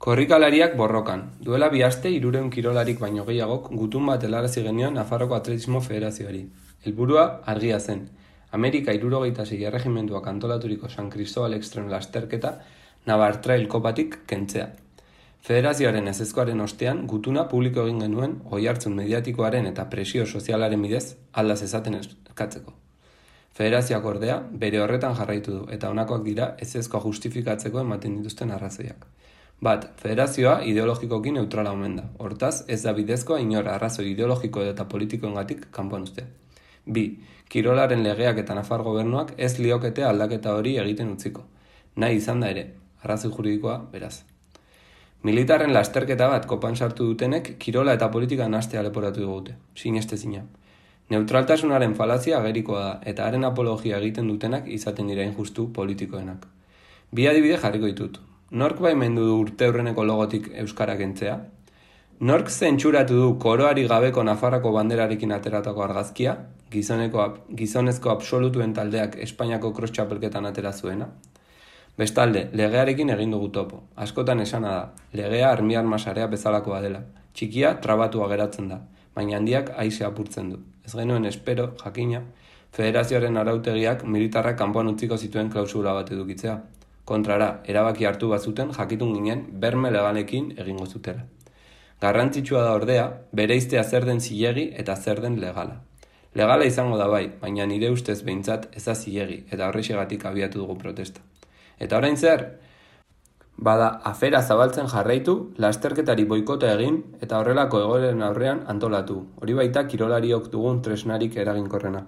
Korrikalariak borrokan. Duela 2 aste 300 kirolarik baino gehiagok gutun bat helarazi genion Nafarroko Atletismo Federazioari. Helburua argia zen. Amerika 76 erregimentuak antolaturiko San Cristobal Extreme lasterketa Navar Trail kopatik kentzea. Federazioaren ezezkoaren ostean gutuna publiko egin genuen oihartzun mediatikoaren eta presio sozialaren bidez aldaz ezaten eskatzeko. Federazioak ordea bere horretan jarraitu du eta honakoak dira ezezkoa justifikatzeko ematen dituzten arrazoiak. Bat, federazioa ideologikoki neutrala omen da. Hortaz, ez da bidezkoa inor arrazoi ideologiko eta politikoengatik kanpoan uztea. 2. Kirolaren legeak eta Nafar gobernuak ez liokete aldaketa hori egiten utziko. Nahi izan da ere, arrazoi juridikoa beraz. Militarren lasterketa bat kopan sartu dutenek kirola eta politika nahastea leporatu digute. Sinestezina. Neutraltasunaren falazia agerikoa da eta haren apologia egiten dutenak izaten dira injustu politikoenak. 2 adibide jarriko ditut. Nork baimendu du urteurreneko logotik euskara kentzea? Nork zentsuratu du koroari gabeko Nafarrako banderarekin ateratako argazkia? Gizonezko absolutuen taldeak Espainiako cross txapelketan atera zuena? Bestalde, legearekin egin dugu topo. Askotan esana da, legea armi-arma sarea bezalakoa dela. Txikia trabatua geratzen da, baina handiak aise apurtzen du. Ez genuen espero, jakina, federazioaren arautegiak militarrak kanpoan utziko zituen klausula bat edukitzea. Kontrara, erabaki hartu bazuten jakitun ginen berme legalekin egingo zutela. Garrantzitsua da ordea, bereiztea zer den zilegi eta zer den legala. Legala izango da bai, baina nire ustez behintzat ez da zilegi eta horrexegatik abiatu dugu protesta. Eta orain zer? Bada, afera zabaltzen jarraitu, lasterketari boikota egin eta horrelako egoeren aurrean antolatu. Hori baita kirolariok dugun tresnarik eraginkorrena.